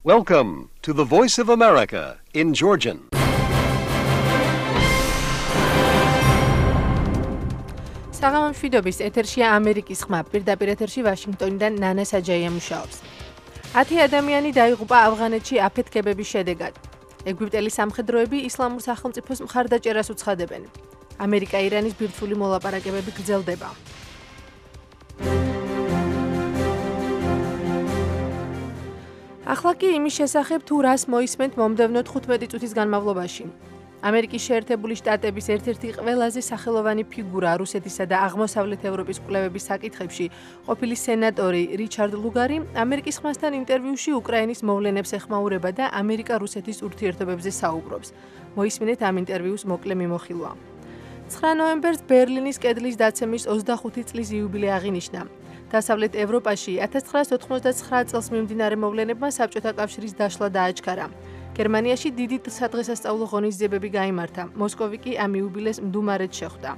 Welcome to the Voice of America in Georgian. საღამომშვიდობის ეთერშია ამერიკის ხმა. პირდაპირ ეთერში ვაშინგტონიდან ნანა საჯაია მუშაობს. 10 ადამიანი დაიღუპა ავღანეთში აფეთქებების შედეგად. ეგვიპტელი სამხედროები ისლამურ სახელმწიფოს მხარდაჭერას უცხადებენ. ამერიკა-ირანის ბირთვული მოლაპარაკებები გრძელდება. ახლა კი იმის შესახებ თუ რას მოისმენთ მომდევნო 15 წუთის განმავლობაში. ამერიკის შეერთებული შტატების ერთ-ერთი ყველაზე სახელოვანი ფიგურა რუსეთისა და აღმოსავლეთ ევროპის კვლევების საკითხებში ყოფილი სენატორი რიჩარდ ლუგარი ამერიკის ხმასთან ინტერვიუში უკრაინის მოვლენებს ეხმაურება და ამერიკა-რუსეთის ურთიერთობებზე საუბრობს. მოისმინეთ ამ ინტერვიუს მოკლე მიმოხილვა. 9 ნოემბერს ბერლინის კედლის დაცემის 25 წლის იუბილე აღინიშნა. დასავლეთ ევროპაში 1989 წელს მიმდინარე მოვლენებმა საბჭოთა კავშირის დაშლა დააჩქარა. გერმანიაში დიდი სადღესასწაულო ღონისძიებები გაიმართა. მოსკოვი კი ამ იუბილეს მდუმარედ შეხვდა.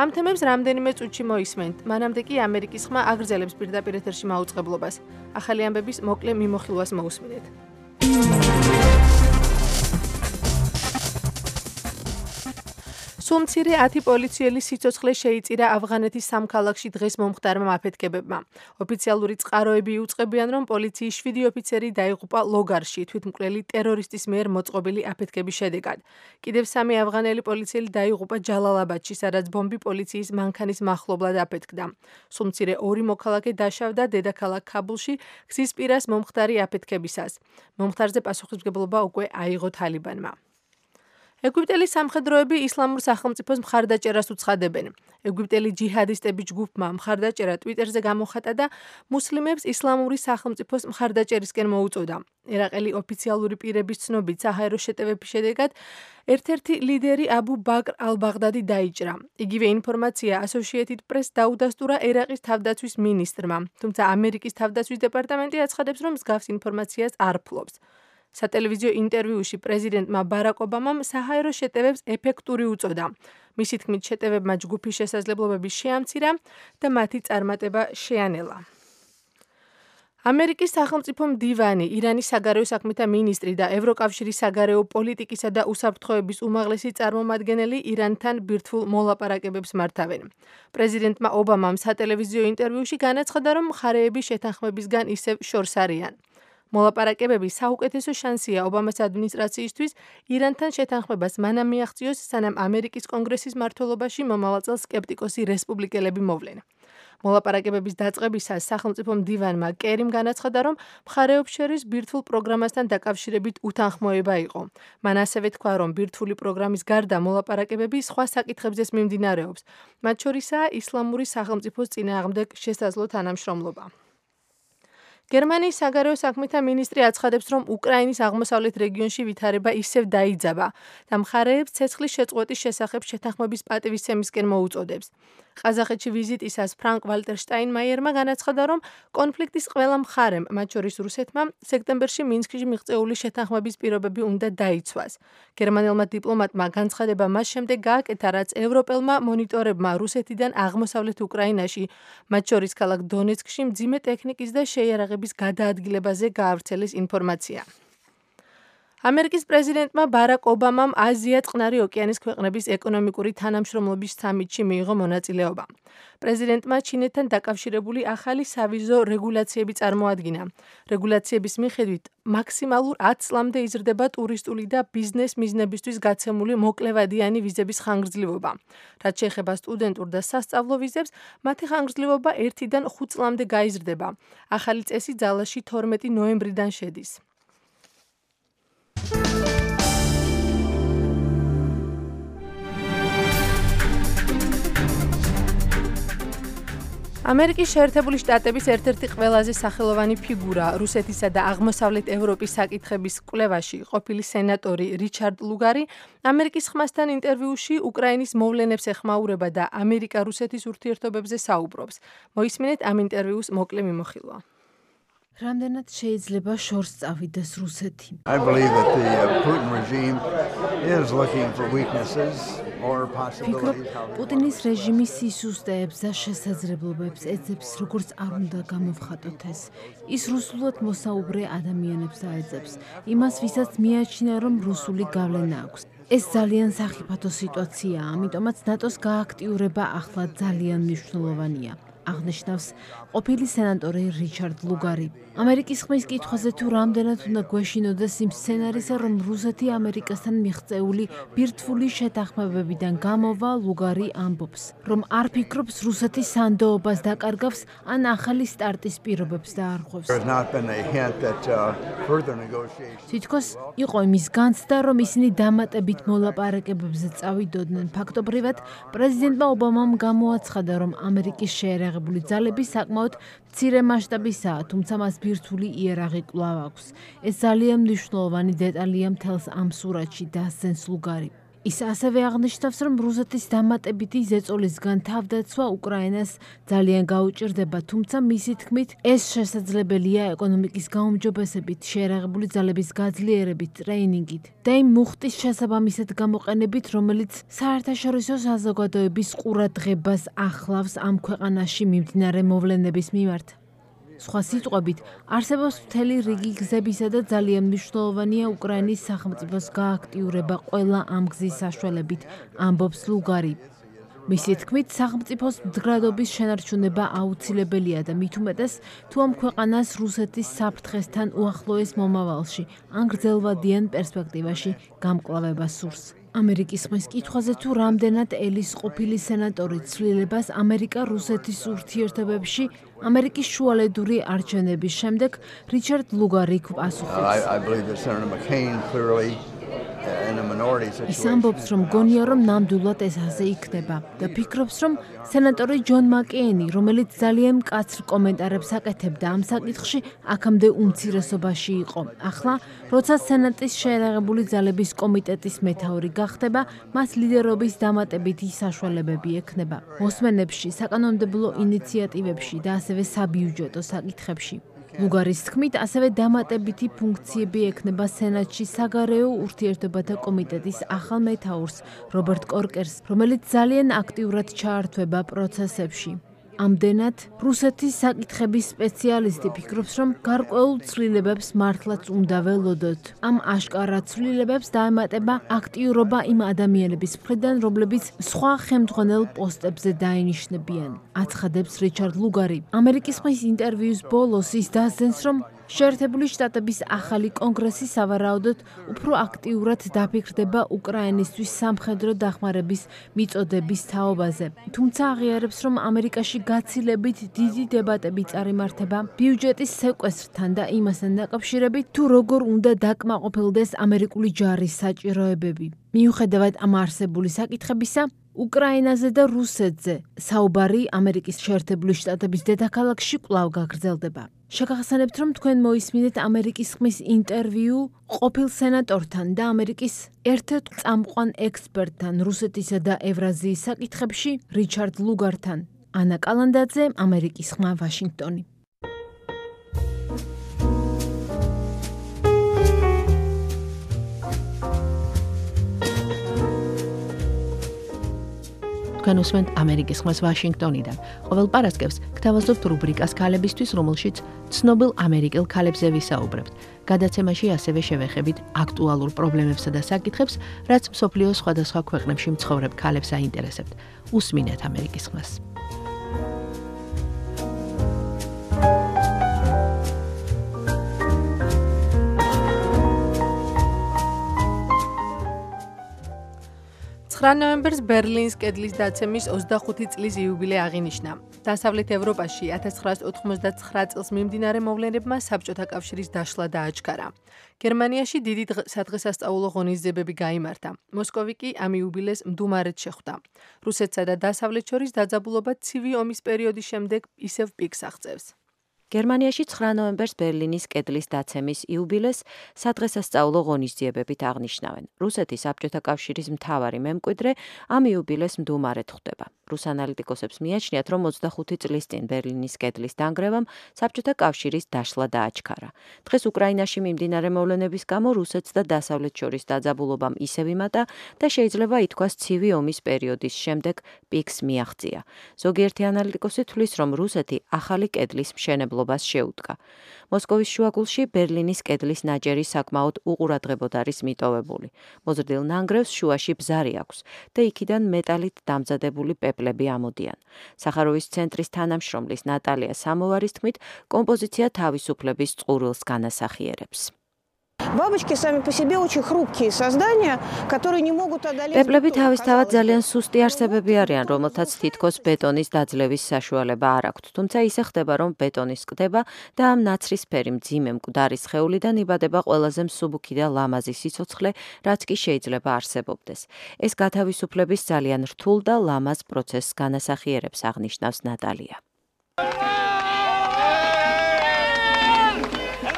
ამ თემებს რამდენიმე წუთში მოისმენთ. მანამდე კი ამერიკის ხმა აგრძელებს პირდაპირ ეთერში მაუწყებლობას. ახალი ამბების მოკლე მიმოხილვას მოусმინეთ. სულ მცირე 10 პოლიციელი სიცოცხლე შეიწირა ავღანეთის სამ ქალაქში დღეს მომხდარმა აფეთქებებმა. ოფიციალური წყაროები იუწყებიან, რომ პოლიციის 7 ოფიცერი დაიღუპა ლოგარში, თვითმკვლელი ტერორისტის მიერ მოწყობილი აფეთქების შედეგად. კიდევ 3 ავღანელი პოლიციელი დაიღუპა ჯალალაბადში, სადაც ბომბი პოლიციის მანქანის მახლობლად აფეთქდა. სულ მცირე 2 მოქალაქე დაშავდა დედაქალაქ ქაბულში გზის პირას მომხდარი აფეთქებისას. მომხდარზე პასუხისმგებლობა უკვე აიღო თალიბანმა. ეგვიპტელი სამხედროები ისლამურ სახელმწიფოს მხარდაჭერას უცხადებენ. ეგვიპტელი ჯიჰადისტების ჯგუფმა მხარდაჭერა ტვიტერზე გამოხატა და მუსლიმებს ისლამური სახელმწიფოს მხარდაჭერისკენ მოუწოდა. ერაყელი ოფიციალური პირების ცნობით საჰაერო შეტევების შედეგად ერთ-ერთი ლიდერი აბუ ბაკრ ალ-ბაღდადი დაიჭრა. იგივე ინფორმაცია Associated Press დაუდასტურა ერაყის თავდაცვის მინისტრმა, თუმცა ამერიკის თავდაცვის დეპარტამენტი აცხადებს, რომ მსგავს ინფორმაციას არ ფლობს. სატელევიზიო ინტერვიუში პრეზიდენტმა ბარაკ ობამამ საჰაერო შეტევებს ეფექტური უწოდა. მისი თქმით, შეტევებმა ჯგუფის შესაძლებლობები შეამცირა და მათი წარმატება შეანელა. ამერიკის სახელმწიფო მდივანი, ირანის საგარეო საქმეთა მინისტრი და ევროკავშირის საგარეო პოლიტიკისა და უსაფრთხოების უმაღლესი წარმომადგენელი ირანთან ბირთვულ მოლაპარაკებებს მართავენ. პრეზიდენტმა ობამამ სატელევიზიო ინტერვიუში განაცხადა, რომ მხარეები შეთანხმებისგან ისევ შორს არიან. მოლაპარაკებები საუკეთესო შანსია ობამას ადმინისტრაციისთვის ირანთან შეთანხმებას მანამ მიაღწიოს, სანამ ამერიკის კონგრესის მმართველობაში მომავალ წელს სკეპტიკოსი რესპუბლიკელები მოვლენ. მოლაპარაკებების დაწყებისას სახელმწიფო მდივანმა კერიმ განაცხადა, რომ მხარეებს შორის ბირთვულ პროგრამასთან დაკავშირებით უთანხმოება იყო. მან ასევე თქვა, რომ ბირთვული პროგრამის გარდა მოლაპარაკებები სხვა საკითხებზეც მიმდინარეობს, მათ შორისაა ისლამური სახელმწიფოს წინააღმდეგ შესაძლო თანამშრომლობა. გერმანიის საგარეო საქმეთა მინისტრი აცხადებს, რომ უკრაინის აღმოსავლეთ რეგიონში ვითარება ისევ დაიძაბა და მხარეებს ცეცხლის შეწყვეტის შესახებ შეთანხმების პატივისცემისკენ მოუწოდებს. ყაზახეთში ვიზიტისას ფრანკ ვალტერ შტაინმაიერმა განაცხადა, რომ კონფლიქტის ყველა მხარემ, მათ შორის რუსეთმა, სექტემბერში მინსკში მიღწეული შეთანხმების პირობები უნდა დაიცვას. გერმანელმა დიპლომატმა განცხადება მას შემდეგ გააკეთა, რაც ევროპელმა მონიტორებმა რუსეთიდან აღმოსავლეთ უკრაინაში, მათ შორის ქალაქ დონეცკში მძიმე ტექნიკის და შეიარაღების გადაადგილებაზე გაავრცელეს ინფორმაცია. ამერიკის პრეზიდენტმა ბარაკ ობამამ აზია-წყნარი ოკეანის ქვეყნების ეკონომიკური თანამშრომლობის სამიტში მიიღო მონაწილეობა. პრეზიდენტმა ჩინეთთან დაკავშირებული ახალი სავიზო რეგულაციები წარმოადგინა. რეგულაციების მიხედვით მაქსიმალურ 10 წლამდე იზრდება ტურისტული და ბიზნეს მიზნებისთვის გაცემული მოკლევადიანი ვიზების ხანგრძლივობა. რაც შეეხება სტუდენტურ და სასწავლო ვიზებს, მათი ხანგრძლივობა 1-დან 5 წლამდე გაიზრდება. ახალი წესი ძალაში 12 ნოემბრიდან შედის. ამერიკის შეერთებული შტატების ერთ-ერთი ყველაზე სახელოვანი ფიგურა რუსეთისა და აღმოსავლეთ ევროპის საკითხების კვლევაში ყოფილი სენატორი რიჩარდ ლუგარი ამერიკის ხმასთან ინტერვიუში უკრაინის მოვლენებს ეხმაურება და ამერიკა-რუსეთის ურთიერთობებზე საუბრობს. მოისმინეთ ამ ინტერვიუს მოკლე მიმოხილვა. რამდენად შეიძლება შორს წავიდეს რუსეთი? I believe that the Putin regime is looking for weaknesses or possibilities. პუტინის რეჟიმი სისუსტეებს და შესაძლებლობებს ეძებს, როგორც არ უნდა გამოვხატოთ ეს. ის რუსულად მოსაუბრე ადამიანებს აეძებს. იმას, ვისაც მიაჩნია, რომ რუსული გავლენა აქვს. ეს ძალიან სახიფათო სიტუაციაა, ამიტომაც ნატოს გააქტიურება ახლა ძალიან მნიშვნელოვანია. აღნიშნავს ყოფილი სენატორი რიჩარდ ლუგარი. ამერიკის ხმის კითხვაზე თუ რამდენად უნდა გვეშინოდეს იმ სცენარისა, რომ რუსეთი ამერიკასთან მიღწეული ბირთვული შეთანხმებებიდან გამოვა, ლუგარი ამბობს, რომ არ ფიქრობს რუსეთის სანდოობას დაკარგავს ან ახალი სტარტის პირობებს დაარღვევს. თითქოს იყო იმის განცდა, რომ ისინი დამატებით მოლაპარაკებებზე წავიდოდნენ. ფაქტობრივად, პრეზიდენტმა ობამამ გამოაცხადა, რომ ამერიკის შეერაღებული ძალები საკმაოდ მცირე მასშტაბისაა, თუმცა მას ბირთვული იარაღი კვლავ აქვს. ეს ძალიან მნიშვნელოვანი დეტალია მთელს ამ სურათში, დასძენს ლუგარი. ის ასევე აღნიშნავს, რომ რუსეთის დამატებითი ზეწოლისგან თავდაცვა უკრაინას ძალიან გაუჭირდება, თუმცა მისი თქმით, ეს შესაძლებელია ეკონომიკის გაუმჯობესებით, შეერაღებული ძალების გაძლიერებით, ტრეინინგით და იმ მუხტის შესაბამისად გამოყენებით, რომელიც საერთაშორისო საზოგადოების ყურადღებას ახლავს ამ ქვეყანაში მიმდინარე მოვლენების მიმართ. სხვა სიტყვებით, არსებობს მთელი რიგი გზებისა და ძალიან მნიშვნელოვანია უკრაინის სახელმწიფოს გააქტიურება ყველა ამ გზის საშუალებით, ამბობს ლუგარი. მისი თქმით, სახელმწიფოს მდგრადობის შენარჩუნება აუცილებელია და მით უმეტეს, თუ ამ ქვეყანას რუსეთის საფრთხესთან უახლოეს მომავალში, ან გრძელვადიან პერსპექტივაში გამკლავება სურს. ამერიკის ხმის კითხვაზე თუ რამდენად ელის ყოფილი სენატორი ცვლილებას ამერიკა-რუსეთის ურთიერთობებში ამერიკის შუალედური არჩევნების შემდეგ რიჩარდ ლუგარი პასუხობს. ის ამბობს, რომ გონია, რომ ნამდვილად ეს ასე იქნება და ფიქრობს, რომ სენატორი ჯონ მაკეინი, რომელიც ძალიან მკაცრ კომენტარებს აკეთებდა ამ საკითხში, აქამდე უმცირესობაში იყო. ახლა, როცა სენატის შეერაღებული ძალების კომიტეტის მეთაური გახდება, მას ლიდერობის დამატებითი საშუალებები ექნება. მოსმენებში, საკანონმდებლო ინიციატივებში და ასევე საბიუჯეტო საკითხებში. ლუგარის თქმით, ასევე დამატებითი ფუნქციები ექნება სენატში საგარეო ურთიერთობათა კომიტეტის ახალ მეთაურს, რობერტ კორკერს, რომელიც ძალიან აქტიურად ჩაართვება პროცესებში. ამდენად, რუსეთის საკითხების სპეციალისტი ფიქრობს, რომ გარკვეულ ცვლილებებს მართლაც უნდა ველოდოთ. ამ აშკარა ცვლილებებს დაემატება აქტიურობა იმ ადამიანების მხრიდან, რომლებიც სხვა ხელმძღვანელ პოსტებზე დაინიშნებიან, აცხადებს რიჩარდ ლუგარი. ამერიკის ხმის ინტერვიუს ბოლოს ის დასძენს, რომ შეერთებული შტატების ახალი კონგრესი სავარაუდოდ უფრო აქტიურად დაფიქრდება უკრაინისთვის სამხედრო დახმარების მიწოდების თაობაზე. თუმცა აღიარებს, რომ ამერიკაში გაცილებით დიდი დებატები წარიმართება ბიუჯეტის სეკვესტრთან და იმასთან დაკავშირებით, თუ როგორ უნდა დაკმაყოფილდეს ამერიკული ჯარის საჭიროებები. მიუხედავად ამ არსებული საკითხებისა, უკრაინაზე და რუსეთზე საუბარი ამერიკის შეერთებული შტატების დედაქალაქში კვლავ გაგრძელდება. შეგახსენებთ, რომ თქვენ მოისმინეთ ამერიკის ხმის ინტერვიუ ყოფილ სენატორთან და ამერიკის ერთ-ერთ წამყვან ექსპერტთან რუსეთისა და ევრაზიის საკითხებში რიჩარდ ლუგართან. ანა კალანდაძე, ამერიკის ხმა, ვაშინგტონი. თქვენ უსმენთ ამერიკის ხმას ვაშინგტონიდან. ყოველ პარასკევს გთავაზობთ რუბრიკას ქალებისთვის, რომელშიც ცნობილ ამერიკელ ქალებზე ვისაუბრებთ. გადაცემაში ასევე შევეხებით აქტუალურ პრობლემებსა და საკითხებს, რაც მსოფლიოს სხვადასხვა ქვეყნებში მცხოვრებ ქალებს აინტერესებთ. უსმინეთ ამერიკის ხმას. ნოემბერს ბერლინის კედლის დაცემის 25 წლის იუბილე აღინიშნა. დასავლეთ ევროპაში 1989 წელს მიმდინარე მოვლენებმა საბჭოთა კავშირის დაშლა დააჩქარა. გერმანიაში დიდი სადღესასწაულო ღონისძიებები გაიმართა. მოსკოვი კი ამ იუბილეს მდუმარედ შეხვდა. რუსეთსა და დასავლეთ შორის დაძაბულობა ცივი ომის პერიოდის შემდეგ ისევ პიკს აღწევს. გერმანიაში 9 ნოემბერს ბერლინის კედლის დაცემის იუბილეს სადღესასწაულო ღონისძიებებით აღნიშნავენ. რუსეთის საბჭოთა კავშირის მთავარი მემკვიდრე ამ იუბილეს მდუმარედ ხვდება. რუს ანალიტიკოსებს მიაჩნიათ, რომ 25 წლის წინ ბერლინის კედლის დანგრევამ საბჭოთა კავშირის დაშლა დააჩქარა. დღეს უკრაინაში მიმდინარე მოვლენების გამო რუსეთს და დასავლეთს შორის დაძაბულობამ ისევ იმატა და შეიძლება ითქვას ცივი ომის პერიოდის შემდეგ პიკს მიაღწია. ზოგიერთი ანალიტიკოსი თვლის, რომ რუსეთი ახალი კედლის მშენებლობას შეუდგა. მოსკოვის შუაგულში ბერლინის კედლის ნაჯერი საკმაოდ უყურადღებოდ არის მიტოვებული. მოზრდილ ნანგრევს შუაში ბზარი აქვს და იქიდან მეტალით დამზადებული პეპლები ამოდიან. სახაროვის ცენტრის თანამშრომლის ნატალია სამოვარის თქმით, კომპოზიცია თავისუფლების წყურვილს განასახიერებს. Бабочки сами по себе очень хрупкие создания, которые не могут одолеть. პეპლები თავისთავად ძალიან სუსტი არსებები არიან, რომელთაც თითქოს ბეტონის დაძლევის საშუალება არ აქვთ. თუმცა ისე ხდება, რომ ბეტონის ყდება და ამ ნაცრისფერი მძიმე მკვდარი სხეულიდან იბადება ყველაზე მსუბუქი და ლამაზი სიცოცხლე, რაც კი შეიძლება არსებობდეს. ეს გათავისუფლების ძალიან რთულ და ლამაზ პროცესს განასახიერებს, აღნიშნავს ნატალია.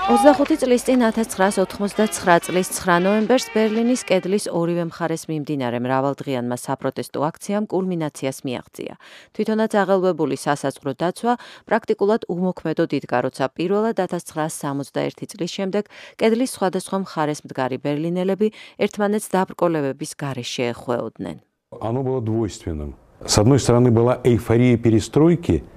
25 წლის წინ 1989 წლის 9 ნოემბერს ბერლინის კედლის ორივე მხარეს მიმდინარე მრავალდღიანმა საპროტესტო აქციამ კულმინაციას მიაღწია. თვითონაც აღელვებული სასაზღვრო დაცვა პრაქტიკულად უმოქმედოდ იდგა, როცა პირველად 1961 წლის შემდეგ კედლის სხვადასხვა მხარეს მდგარი ბერლინელები ერთმანეთს დაბრკოლებების გარეშე ეხვეოდნენ. Оно было двойственным. С одной стороны была эйфория перестройки.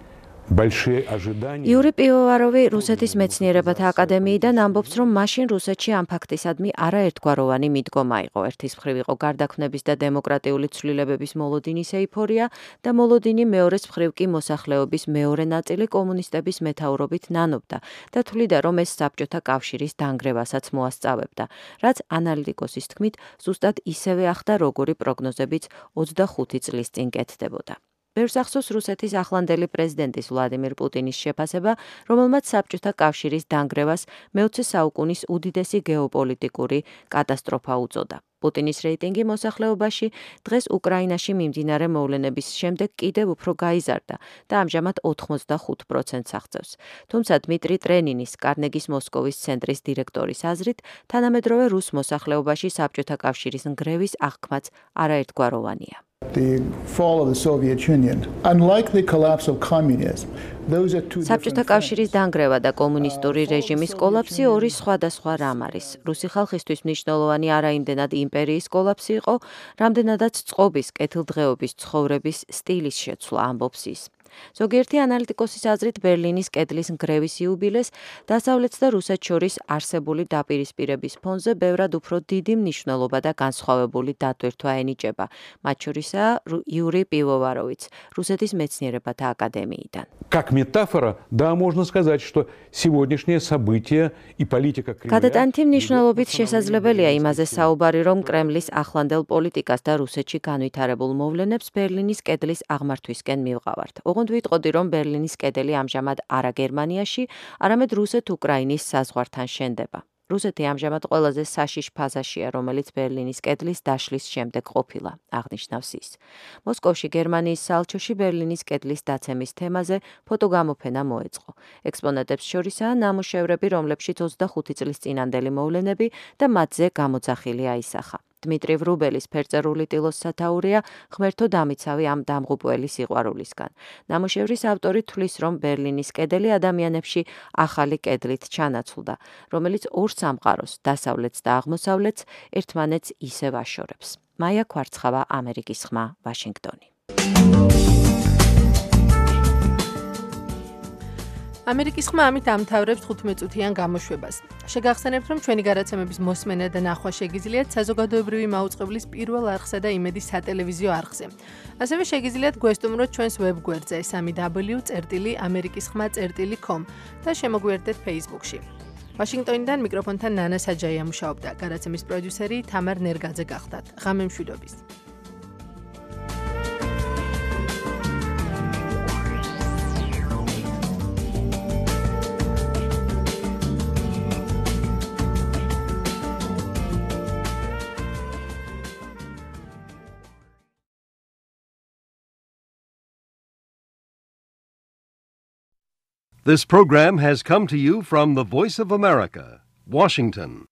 იური პივოვაროვი რუსეთის მეცნიერებათა აკადემიიდან ამბობს, რომ მაშინ რუსეთში ამ ფაქტისადმი არაერთგვაროვანი მიდგომა იყო. ერთის მხრივ იყო გარდაქმნების და დემოკრატიული ცვლილებების მოლოდინის ეიფორია და მოლოდინი მეორეს მხრივ კი მოსახლეობის მეორე ნაწილი კომუნისტების მეთაურობით ნანობდა და თვლიდა, რომ ეს საბჭოთა კავშირის დანგრევასაც მოასწავებდა, რაც ანალიტიკოსის თქმით ზუსტად ისევე ახდა, როგორი პროგნოზებიც 25 წლის წინ კეთდებოდა. ბევრს ახსოვს რუსეთის ახლანდელი პრეზიდენტის ვლადიმირ პუტინის შეფასება, რომელმაც საბჭოთა კავშირის დანგრევას მე-20 საუკუნის უდიდესი გეოპოლიტიკური კატასტროფა უწოდა. პუტინის რეიტინგი მოსახლეობაში დღეს უკრაინაში მიმდინარე მოვლენების შემდეგ კიდევ უფრო გაიზარდა და ამჟამად 85%-ს აღწევს. თუმცა დმიტრი ტრენინის, კარნეგის მოსკოვის ცენტრის დირექტორის აზრით, თანამედროვე რუს მოსახლეობაში საბჭოთა კავშირის ნგრევის აღქმაც არაერთგვაროვანია. The fall of the Soviet Union, unlike the collapse of communism, those are two საბჭოთა კავშირის დანგრევა და კომუნისტური რეჟიმის კოლაფსი ორი სხვადასხვა რამ არის. რუსი ხალხისთვის მნიშვნელოვანი არაიმდენად იმპერიის კოლაფსი იყო, რამდენადაც წყობის, კეთილდღეობის, ცხოვრების სტილის შეცვლა, ამბობს ის. ზოგიერთი ანალიტიკოსის აზრით ბერლინის კედლის ნგრევის იუბილეს დასავლეთს და რუსეთს შორის არსებული დაპირისპირების ფონზე ბევრად უფრო დიდი მნიშვნელობა და განსხვავებული დატვირთვა ენიჭება. მათ შორისაა იური პივოვაროვიც, რუსეთის მეცნიერებათა აკადემიიდან. Как метафора, да, можно сказать, что сегодняшнее событие и политика Кремля. გადატანითი მნიშვნელობით შესაძლებელია იმაზე საუბარი, რომ კრემლის ახლანდელ პოლიტიკას და რუსეთში განვითარებულ მოვლენებს ბერლინის კედლის აღმართვისკენ მივყავართ. ოღონდ ვიტყოდი, რომ ბერლინის კედელი ამჟამად არა გერმანიაში, არამედ რუსეთ-უკრაინის საზღვართან შენდება. რუსეთი ამჟამად ყველაზე საშიშ ფაზაშია, რომელიც ბერლინის კედლის დაშლის შემდეგ ყოფილა, აღნიშნავს ის. მოსკოვში გერმანიის საელჩოში ბერლინის კედლის დაცემის თემაზე ფოტოგამოფენა მოეწყო. ექსპონატებს შორისაა ნამუშევრები, რომლებშიც 25 წლის წინანდელი მოვლენები და მათზე გამოძახილი აისახა. დმიტრი ვრუბელის ფერწერული ტილოს სათაურია ღმერთო დამიცავი ამ დამღუპველი სიყვარულისგან. ნამუშევრის ავტორი თვლის, რომ ბერლინის კედელი ადამიანებში ახალი კედლით ჩანაცვლდა, რომელიც ორ სამყაროს, დასავლეთს და აღმოსავლეთს ერთმანეთს ისევ აშორებს. მაია ქვარცხავა, ამერიკის ხმა, ვაშინგტონი. ამერიკის ხმა ამით ამთავრებს 15 წუთიან გამოშვებას. შეგახსენებთ, რომ ჩვენი გადაცემების მოსმენა და ნახვა შეგიძლიათ საზოგადოებრივი მაუწყებლის პირველ არხსა და იმედის სატელევიზიო არხზე. ასევე შეგიძლიათ გვესტუმროთ ჩვენს ვებგვერდზე www.amerikiskhma.com და შემოგვიერთდეთ Facebook-ში. ვაშინგტონიდან მიკროფონთან ნანა საჯაია მუშაობდა. გადაცემის პროდიუსერი თამარ ნერგაძე გახდათ. ღამე მშვიდობის. This program has come to you from the Voice of America, Washington.